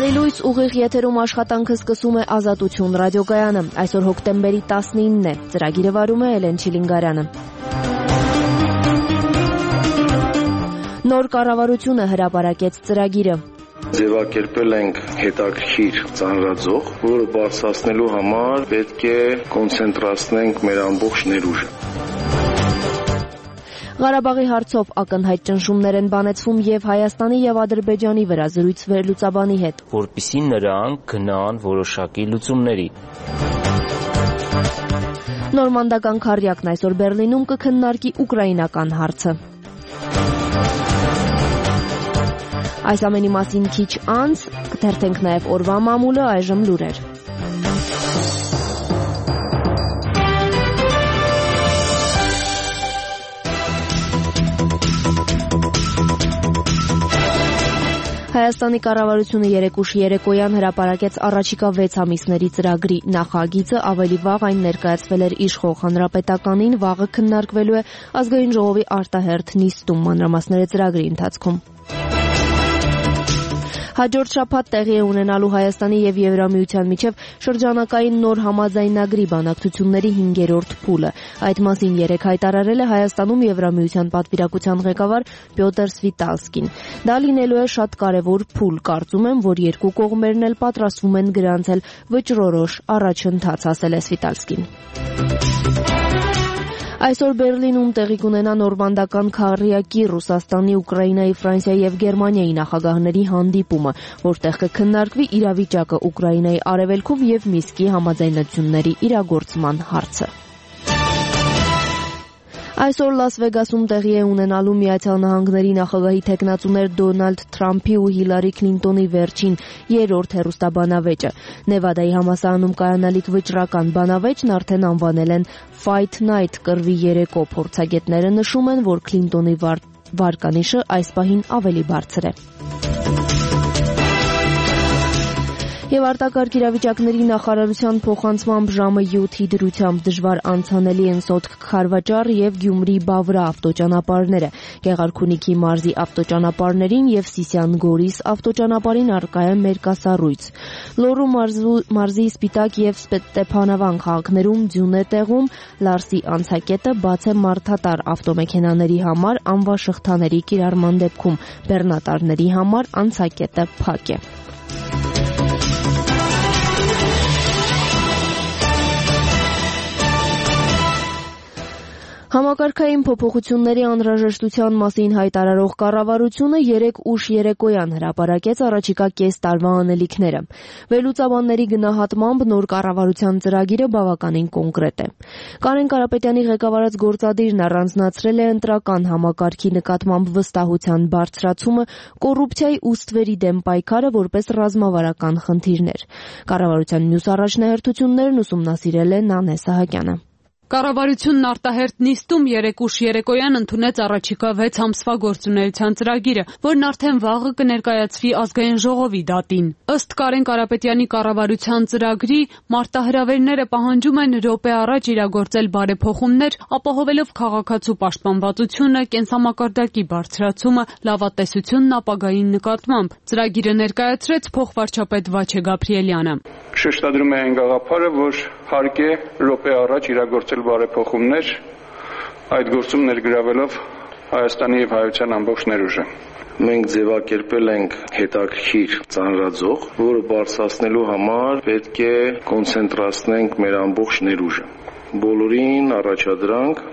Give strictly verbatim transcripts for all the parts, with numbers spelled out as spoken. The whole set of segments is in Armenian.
Բարելույս, ուղիղ եթերում աշխատանքը սկսում է Ազատություն ռադիոկայանը։ Այսօր հոկտեմբերի տասնինն է, ծրագիրը վարում է Էլեն Չիլինգարյանը։ Նոր կառավարությունը հրապարակեց ծրագիրը։ Ձևակերպել ենք հետաքրքիր ծանրաձող, որը բարձրացնելու համար պետք է կոնցենտրացնենք մեր ամբողջ ներուժը։ Ղարաբաղի հարցով ակնհայտ ճնշումներ են բանեցվում եւ Հայաստանի եւ Ադրբեջանի վրա զրույց վերլուծաբանի հետ, որպեսզի նրանք գնան որոշակի լուծումների։ Նորմանդական քառյակն այսօր Բեռլինում կքննարկի ուկրաինական հարցը։ Այս ամենի մասին քիչ անց կթերթենք նաեւ օրվա մամուլը, այժմ լուրեր։ Հայաստանի կառավարությունը երեկ ուշ երեկոյան հրապարակեց առաջիկա վեց ամիսների ծրագրի նախագիծը, ավելի վաղ այն ներկայացվել էր իշխող հանրապետականին, վաղը քննարկվելու է ազգային ժողովի արտահերթ նիստում, մանրամասները ծրագրի ընթացքում։ Հաջորդ շաբաթ տեղի է ունենալու Հայաստանի եւ Եվրամիության միջև շրջանակային նոր համաձայնագրի բանակցությունների հինգերորդ փուլը։ Այդ մասին երեկ հայտարարել է Հայաստանում Եվրամիության պատվիրակության ղեկավար Պյոտր Սվիտալսկին։ Դա լինելու է շատ կարևոր փուլ, կարծում եմ, որ երկու կողմերն էլ պատրաստվում են գրանցել վճռորոշ առաջընթաց, ասել է Սվիտալսկին։ Այսօր Բեռլինում տեղի կունենա նորմանդական քառյակի Ռուսաստանի, Ուկրաինայի, Ֆրանսիայի եւ Գերմանիայի նախագահների հանդիպումը, որտեղ կքննարկվի իրավիճակը Ուկրաինայի արևելքում եւ Միսկի համաձայնությունների իրագործման հարցը։ Այսօր Լաս Վեգասում տեղի է ունենալու Միացյալ Նահանգների նախագահի թեկնածուներ Դոնալդ Թրամփի ու Հիլարի Քլինտոնի վերջին երրորդ հեռուստաբանավեճը։ Նևադայի համալսարանում կայանալիք վճռական բանավեճն արդեն անվանել են Fight Night կռվի երեկո։ Փորձագետները նշում են, որ Քլինտոնի վար... վարկանիշը այս պահին ավելի բարձր է։ Եվ արտակարգ իրավիճակների նախարարության փոխանցմամբ ժամը յոթի դրությամբ դժվար անցանելի են Սոտք Խարվաճառ եւ Գյումրի Բավրա ավտոճանապարհները։ Գեղարքունիքի մարզի ավտոճանապարհներին եւ Սիսիան Գորիս ավտոճանապարհին առկա է մերկասառույց։ Լոռու մարզի Սպիտակ եւ Ստեփանավան քաղաքներում ձյուն է տեղում, Լարսի անցակետը բաց է մարդատար ավտոմեքենաների համար անվաշղթաների կիրառման դեպքում, բեռնատարների համար անցակետը փակ է։ Համակարգային փոփոխությունների անհրաժեշտության մասին հայտարարող կառավարությունը երեկ ուշ երեկոյան հրապարակեց առաջիկա կես տարվա անելիքները։ Վերլուծաբանների գնահատմամբ նոր կառավարության ծրագիրը բավականին կոնկրետ է։ Կարեն Կարապետյանի ղեկավարած գործադիրն առանձնացրել է ընտրական համակարգի նկատմամբ վստահության բարձրացումը, կոռուպցիայի ու ստվերի դեմ պայքարը որպես ռազմավարական խնդիրներ։ Կառավարության մյուս առաջնահերթություններն ուսումնասիրել է Նանե Սահակյանը։ Կառավարությունն արտահերթ նիստում երեկ ուշ երեկոյան ընդունեց առաջիկա վեց ամսվա գործունեության ծրագիրը, որն արդեն վաղը կներկայացվի ազգային ժողովի դատին։ Ըստ Կարեն Կարապետյանի կառավարության ծրագրի, մարտահրավերները պահանջում են րոպե առաջ իրագործել բարեփոխումներ, ապահովելով քաղաքացու պաշտպանվածությունը, կենսամակարդակի բարձրացումը, լավատեսությունն ապագային նկատմամբ։ Ծրագիրը ներկայացրեց փոխվարչապետ Վաչե Գաբրիելյանը։ Շեշտադրում է այն գաղափարը, որ հարկ է րոպե առաջ իրագործել բարեփոխումներ, այդ գործում ներգրավելով Հայաստանի եւ հայության ամբողջ ներուժը։ Մենք ձևակերպել ենք հետաքրքիր ծանրաձող, որը բարձրացնելու համար պետք է կոնցենտրացնենք մեր ամբողջ ներուժը։ Բոլորին առաջադրանք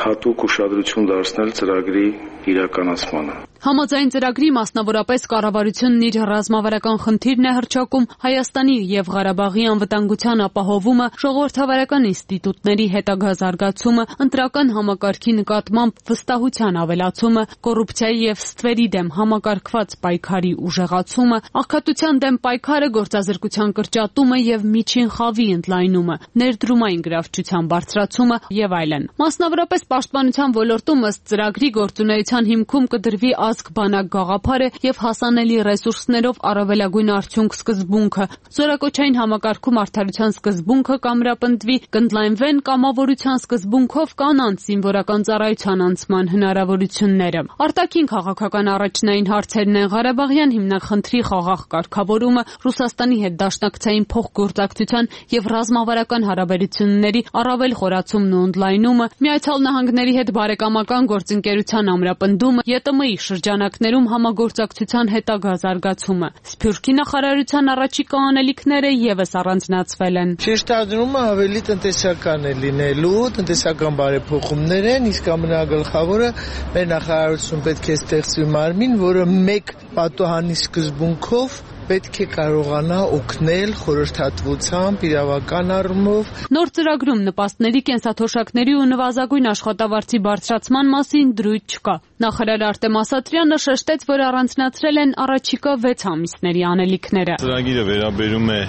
հատուկ ուշադրություն դարձնել ծրագրի իրականացմանը։ Համաձայն ծրագրի մասնավորապես կառավարությունն իր ռազմավարական խնդիրն է հռչակում Հայաստանի եւ Ղարաբաղի անվտանգության ապահովումը, ժողովրդավարական ինստիտուտների հետագա զարգացումը, ընտրական համակարգի նկատմամբ վստահության ավելացումը, կոռուպցիայի եւ ստվերի դեմ համակարգված պայքարի ուժեղացումը, աղքատության դեմ պայքարը, գործազրկության կրճատումը եւ միջին խավի ընդլայնումը, ներդրումային գրավչության բարձրացումը եւ այլն։ Մասնավորապես պաշտպանության ոլորտում ըստ ծրագրի գործունեության հիմքում կդրվի ազգ-բանակ գաղափարը եւ հասանելի ռեսուրսներով առավելագույն արդյունք սկզբունքը։ Զորակոչային համակարգում արդարության սկզբունքը կամրապնդվի, կընդլայնվեն կամավորության սկզբունքով կանանց զինվորական ծառայության անցման հնարավորությունները։ Արտաքին քաղաքական առաջնային հարցերն են Ղարաբաղյան հիմնախնդրի խաղաղ կարգավորումը, Ռուսաստանի հետ դաշնակցային փոխգործակցության եւ ռազմավարական հարաբերությունների առավել խորացումն ու ընդլայնումը, Միացյալ Նահանգների հետ բարեկամական գործընկերության ամրապնդումը, ԵՏՄ-ի շրջանակներում համագործակցության հետագա զարգացումը։ Սփյուռքի նախարարության առաջիկա անելիքները եւս առանձնացվել են։ Շեշտադրումը ավելի տնտեսական է լինելու, տնտեսական բարեփոխումներ են, իսկ ամենագլխավորը մեր նախարարություն պետք է ստեղծվի մարմին, որը մեկ պատոհանի սկզբունքով պետք է կարողանա օգնել խորհրդատվությամբ, իրավական առումով։ Նոր ծրագրում նպաստների, կենսաթոշակների ու նվազագույն աշխատավարձի բարձրացման մասին դրույթ չկա։ Նախարար Արտեմ Ասատրյանը շեշտեց, որ առանձնացրել են առաջիկա վեց ամիսների անելիքները։ Ծրագիրը վերաբերում է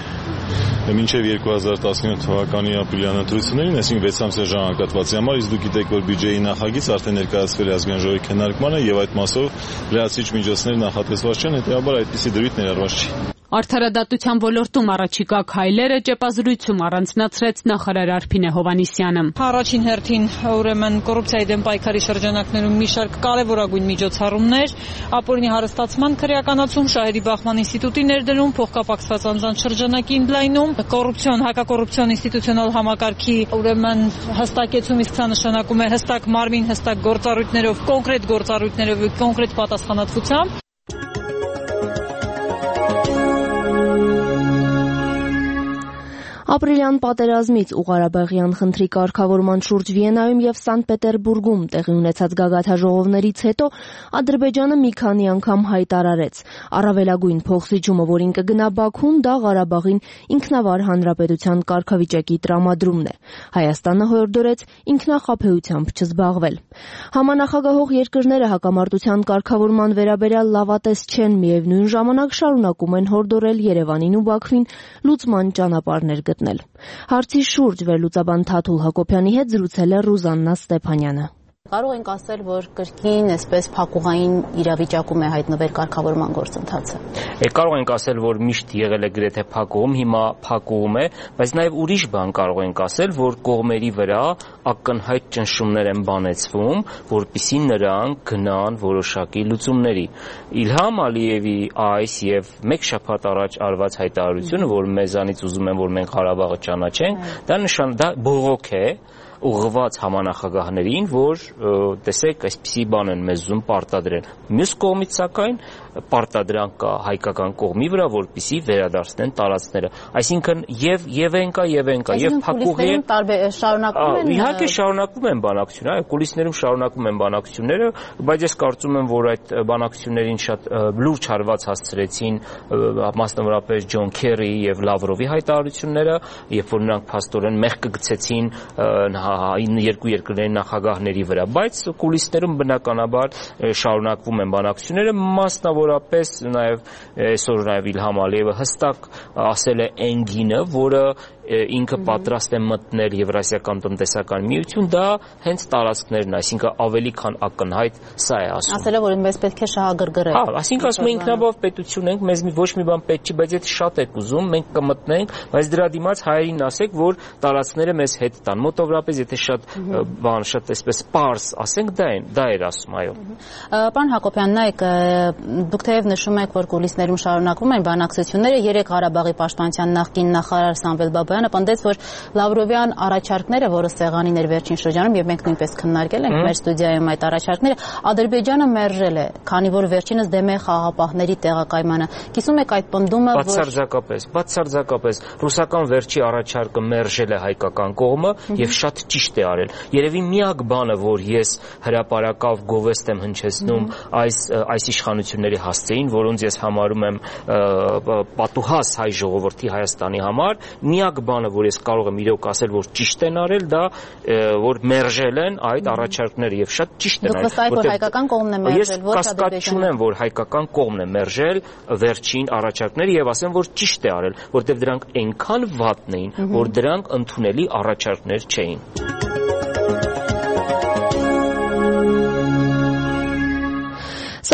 մինչև երկու հազար տասնյոթ թվականի ապրիլյան ընտրություններին, այսինքն վեց ամսյա ժամանակահատվածի համար, իսկ դուք գիտեք, որ բյուջեի նախագիծ արդեն ներկայացվել է ազգային ժողովի քննարկմանը եւ այդ մասով լրացիչ միջոցներ նախատեսված չեն, հետեւաբար այդպիսի դրույթ ներառված չի։ Արդարադատության ոլորտում առաջիկա քայլերը ճեպազրույցում առանձնացրեց նախարար Արփինե Հովհաննիսյանը։ Առաջին հերթին ուրեմն կոռուպցիայի դեմ պայքարի շրջանակներում մի շարք կարևորագույն միջոցառումներ, ապօրինի հարստացման քրեականացում, շահերի բախման ինստիտուտի ներդրում, փոխկապակցված անձանց շրջանակի ընդլայնում, կոռուպցիոն, հակակոռուպցիոն ինստիտուցիոնալ համակարգի ուրեմն հստակեցում, իսկ սա նշանակում է հստակ մարմին, հստակ գործառույթներով, կոնկրետ գործառույթներով, կոնկրետ պատասխանատվությամբ։ Ապրիլյան պատերազմից ու Ղարաբաղյան խնդրի կարգավորման շուրջ Վիեննայում եւ Սանկտ Պետերբուրգում տեղի ունեցած գագաթաժողովներից հետո Ադրբեջանը մի քանի անգամ հայտարարեց. առավելագույն փոխզիջումը, որին կգնա Բաքուն, դա Ղարաբաղին ինքնավար հանրապետության կարգավիճակի տրամադրումն է։ Հայաստանը հորդորեց ինքնախաբեությամբ չզբաղվել։ Համանախագահող երկրները հակամարտության կարգավորման վերաբերյալ լավատես չեն, միևնույն ժամանակ շարունակում են հորդորել Երևանին ու Բաքվին լուծման ճանապարհներ գտնել։ Հարցի շուրջ վերլուծաբան Թաթուլ Հակոբյանի հետ զրուցել է Ռուզաննա Ստեփանյանը։ Կարող ենք ասել, որ կրկին այսպես փակուղային իրավիճակում է հայտնվել կարգավորման գործընթացը։ Կարող ենք ասել, որ միշտ եղել է գրեթե փակուղում, հիմա փակուղում է, բայց նաև ուրիշ բան կարող ենք ասել, որ կողմերի վրա ակնհայտ ճնշումներ են բանեցվում, որպեսզի նրանք գնան որոշակի լուծումների։ Իլհամ Ալիևի այս եւ մեկ շաբաթ առաջ արված հայտարարությունը, որ մեզանից ուզում են, որ մենք Ղարաբաղը ճանաչենք, դա նշան դա բողոք է ուղղված համանախագահներին, որ տեսեք, այսպիսի բան են մեզ ուզում պարտադրել։ Մյուս կողմից սակայն պարտադրանք կա հայկական կողմի վրա, որպեսզի վերադարձնեն տարածքները։ Այսինքն եւ եւ են կա եւ են կա եւ փակուղի շարունակում են։ Իհարկե շարունակում են բանակցությունը, այո, կուլիսներում շարունակում են բանակցությունները, բայց ես կարծում եմ, որ այդ բանակցություններին շատ լուրջ հարված հասցրեցին մասնավորապես Ջոն Քերրիի եւ Լավրովի հայտարարությունները, երբ որ նրանք փաստորեն մեղք գցեցին երկու երկրների նախագահների վրա, բայց կուլիսներում բնականաբար շարունակվում են բանակցությունները, մասնավորապես նաև այսօր նաև Իլհամ Ալիևը հստակ ասել է Էնգինը, որը ինքը պատրաստ է մտնել Եվրասիական տնտեսական միություն, դա հենց տարածքներն, այսինքն ավելի քան ակնհայտ սա է ասում։ Ասել է, որ մեզ պետք է շահագրգռել։ Հա, այսինքն ասում է ինքնաբավ պետություն ենք, մեզ ոչ մի բան պետք չի, բայց եթե շատ եք ուզում, մենք կմտնենք, բայց դրա դիմաց հայերին ասեք, որ տարածքները մեզ հետ տան։ Մոտավորապես եթե շատ բան, շատ այսպես պարզ ասենք, դա են, դա էր ասում, այո։ Պարոն Հակոբյան, նայեք, դուք թեև նշում եք, որ կուլիսներում շարունակվում են բանակցությունները, երեք Ղարաբաղի պաշտպանության նախկին նախարար Սամվել Բաբայանը պնդեց, որ Լավրովյան առաջարկները, որը սեղանին էր վերջին շրջանում, եւ մենք նույնպես քննարկել ենք մեր ստուդիայում այդ առաջարկները, Ադրբեջանը մերժել է, քանի որ վերջինս դեմ է խաղաղապահների տեղակայմանը։ Կիսում եք այդ պնդումը, որ բացարձակապես, բացարձակապես ռուսական վերջի առաջարկը մերժել է հայկական կողմը եւ շատ ճիշտ է արել։ Երևի միակ բանը, որ ես հրապարակավ գովեստ եմ հնչեցնում այս այս իշխանությունների հասցեին, որոնց ես համարում եմ պատուհաս հայ ժողովրդի Հայաստանի համար, միակ բանը, որ ես կարող եմ իրոք ասել, որ ճիշտ են արել, դա որ մերժել են այդ առաջարկները եւ շատ ճիշտ են արել։ Որ հայկական կողմն է մերժել, ոչ Ադրբեջանը։ Ես կասկած չունեմ, որ հայկական կողմն է մերժել վերջին առաջարկները եւ ասեմ, որ ճիշտ է արել, որտեղ դրանք այնքան վատն էին, որ դրանք ընդունելի առաջարկներ չէին։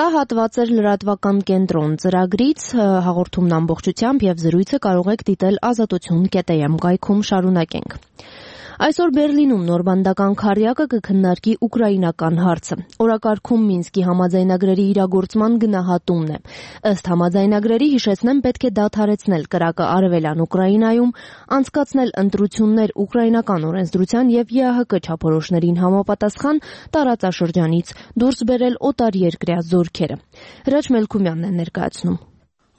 Սա հատված էր լրատվական կենտրոն ծրագրից, հաղորդումն ամբողջությամբ եւ զրույցը կարող եք դիտել ազատություն կետ էմ կայքում, շարունակենք։ Այսօր Բերլինում նորմանդական քառյակը կքննարկի ուկրաինական հարցը։ Օրակարգում Մինսկի համաձայնագրերի իրագործման գնահատումն է։ Ըստ համաձայնագրերի, հիշեցնեմ, պետք է դադարեցնել կրակը արևելյան Ուկրաինայում, անցկացնել ընտրություններ ուկրաինական օրենսդրության եւ ԵԱՀԿ չափորոշներին համապատասխան, տարածաշրջանից դուրս բերել օտարերկրյա զորքերը։ Հրաչ Մելքումյանն է ներկայացնում։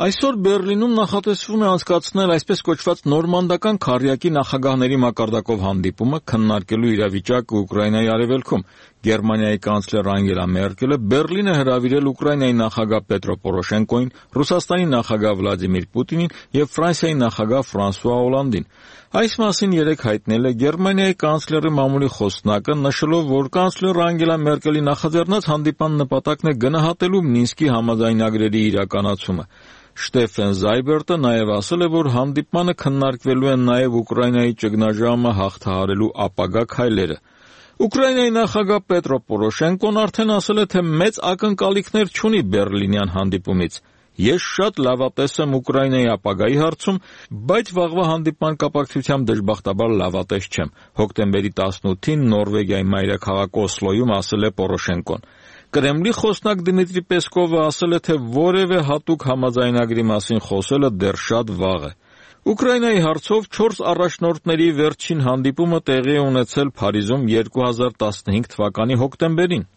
Այսօր Բերլինում նախատեսվում է անցկացնել այսպես կոչված նորմանդական քառյակի նախագահների մակարդակով հանդիպումը, քննարկելու իրավիճակը Ուկրաինայի արևելքում։ Գերմանիայի կանցլեր Անգելա Մերկելը Բերլին է հրավիրել Ուկրաինայի նախագահ Պետրո Պորոշենկոին, Ռուսաստանի նախագահ Վլադիմիր Պուտինին եւ Ֆրանսիայի նախագահ Ֆրանսուଆ Օլանդին։ Այս մասին երեկ հայտնել է Գերմանիայի կանցլերի մամուլի խոսնակը, նշելով, որ կանցլեր Անգելա Մերկելի նախաձեռնած հանդիպան նպատակն է գնահատելու Մինսկի համաձայնագրերի իրականացումը։ Շտեֆեն Զայբերտը նաև ասել է, որ հանդիպմանը քննարկվելու են նաև Ուկրաինայի ճգնաժամը հաղթահարելու ապագա քայլերը։ Ուկրաինայի նախագահ Պետրո Պորոշենկոն արդեն ասել է, թե մեծ ակնկալիքներ չունի Բերլինյան հանդիպումից։ Ես շատ լավատես եմ Ուկրաինայի ապագայի հարցում, բայց վաղվա հանդիպման կապակցությամբ դժբախտաբար լավատես չեմ։ Հոկտեմբերի տասնութին Նորվեգիայի մայրաքաղաք Օսլոյում ասել է Պորոշենկոն։ Կրեմլի խոսնակ Դմիտրի Պեսկովը ասել է, թե որևէ հատուկ համաձայնագրի մասին խոսելը դեռ շատ վաղ է։ Ուկրաինայի հարցով չորս առաջնորդների վերջին հանդիպումը տեղի է ունեցել Փարիզում երկու հազար տասնհինգ թվականի հոկտեմբերին։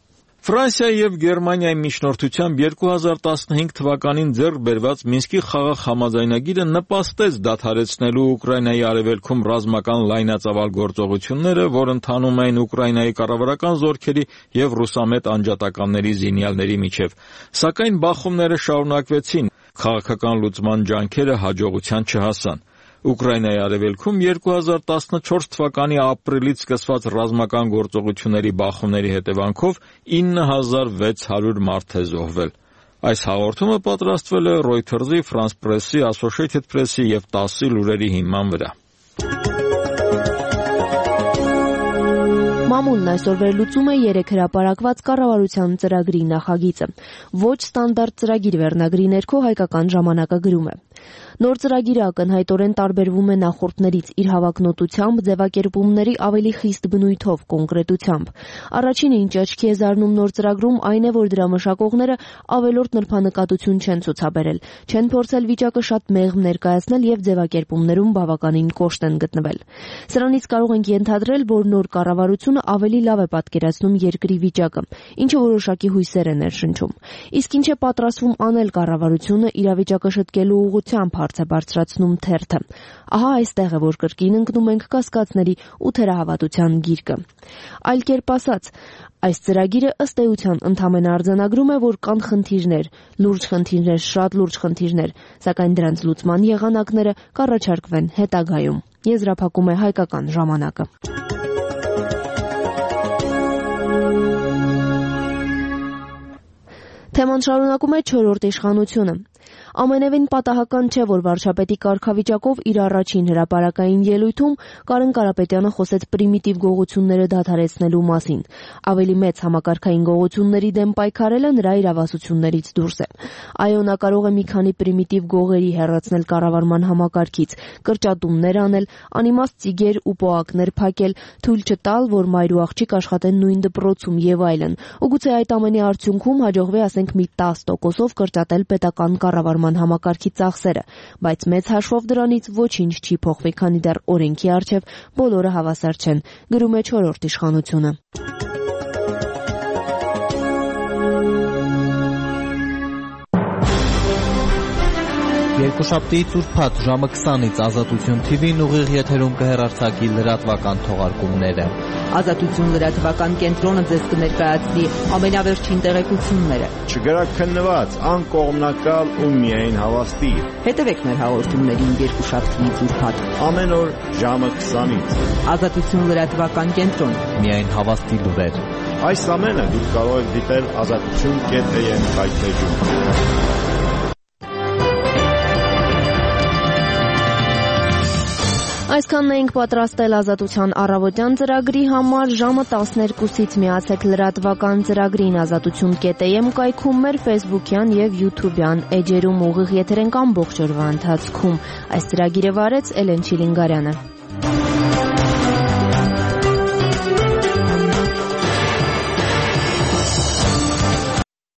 Ֆրանսիայի եւ Գերմանիայի միջնորդությամբ երկու հազար տասնհինգ թվականին ձեռք բերված Մինսկի խաղաղ համաձայնագիրը նպաստեց դադարեցնելու Ուկրաինայի արևելքում ռազմական լայնածավալ գործողությունները, որ ընթանում էին Ուկրաինայի կառավարական զորքերի եւ ռուսամետ անջատականների զինյալների միջև։ Սակայն բախումները շարունակվեցին, քաղաքական լուծման ջանքերը հաջողության չհասան։ Ուկրաինայի արևելքում երկու հազար տասնչորս թվականի ապրիլից սկսված ռազմական գործողությունների բախումների հետևանքով ինը հազար վեց հարյուր մարդ է զոհվել։ Այս հաղորդումը պատրաստվել է Reuters-ի, France Press-ի, Associated Press-ի եւ տասի լուրերի հիման վրա։ Մամուլն այսօր վերլուծում է երեք հրապարակված կառավարության ծրագրի նախագիծը։ Ոչ ստանդարտ ծրագիր վերնագրի ներքո հայկական ժամանակը գրում է. Նոր ծրագիրը ակնհայտորեն տարբերվում է նախորդներից իր հավակնոտությամբ, ձևակերպումների ավելի խիստ բնույթով, կոնկրետությամբ։ Առաջինը, ինչ աչքի է զարնում նոր ծրագրում, այն է, որ դրա մշակողները ավելորդ նրբանկատություն չեն ցուցաբերել, չեն փորձել վիճակը շատ մեղմ ներկայացնել եւ ձևակերպումներում բավականին կոշտ են գտնվել։ Սրանից կարող ենք ենթադրել, որ նոր կառավարությունը ավելի լավ է պատկերացնում երկրի վիճակը, ինչը որոշակի հույսեր է ներշնչում։ Իսկ ինչ է պատրաստվում անել կառավարությունը իրավիճակը շտկելու ուղղությամբ հարց է բարձրացնում թերթը։ Ահա այստեղ է, որ կրկին ընկնում ենք կասկածների ու թերահավատության գիրկը։ Այլ կերպ ասած, այս ծրագիրը ըստ էության ընդհանրապես արձանագրում է, որ կան խնդիրներ, լուրջ խնդիրներ, շատ լուրջ խնդիրներ, սակայն դրանց լուծման եղանակները կառաջարկվեն հետագայում։ Եզրափակում է հայկական ժամանակը։ Թեման շարունակում է չորրորդ իշխանությունը։ Ամենևին պատահական չէ, որ վարչապետի կարգավիճակով իր առաջին հրապարակային ելույթում Կարեն Կարապետյանը խոսեց պրիմիտիվ գողությունները դադարեցնելու մասին։ Ավելի մեծ համակարգային գողությունների դեմ պայքարելը նրա իրավասություններից դուրս է։ Այո, նա կարող է մի քանի պրիմիտիվ գողերի հեռացնել կառավարման համակարգից, կրճատումներ անել, անիմաստ ծիգեր ու պոակներ փակել, թույլ չտալ, որ մայր ու աղջիկ աշխատեն նույն դպրոցում եւ այլն։ Ու գուցե այդ ամենի արդյունքում հաջողվի, ասենք, մի տասը տոկոսով կրճատել պետական կառավարման համակարգի ծախսերը, բայց մեծ հաշվով դրանից ոչինչ չի փոխվի, քանի դեռ օրենքի առջև բոլորը հավասար չեն, գրում է չորրորդ իշխանությունը։ Երկուշաբթի ծուրփաթ ժամը քսանից Ազատություն թի վին ուղիղ եթերում կհեռարձակի լրատվական թողարկումները։ Ազատություն լրատվական կենտրոնը ձեզ կներկայացնի ամենավերջին տեղեկությունները։ Չգրաքննված, անկողմնակալ ու միայն հավաստի։ Հետևեք մեր հաղորդումներին երկուշաբթի ծուրփաթ ամեն օր ժամը քսանից։ Ազատություն լրատվական կենտրոն, միայն հավաստի լուրեր։ Այս ամենը դուք կարող եք դիտել ազատություն կետ է եմ հայտնեջում։ Այսքանն էինք պատրաստել Ազատության առավոտյան ծրագրի համար։ Ժամը տասներկուսից միացեք լրատվական ծրագրին ազատություն կետ am կայքում, մեր ֆեյսբուքյան եւ յութուբյան էջերում ուղիղ եթեր ենք ամբողջ օրվա ընթացքում։ Այս ծրագիրը վարեց Էլեն Չիլինգարյանը։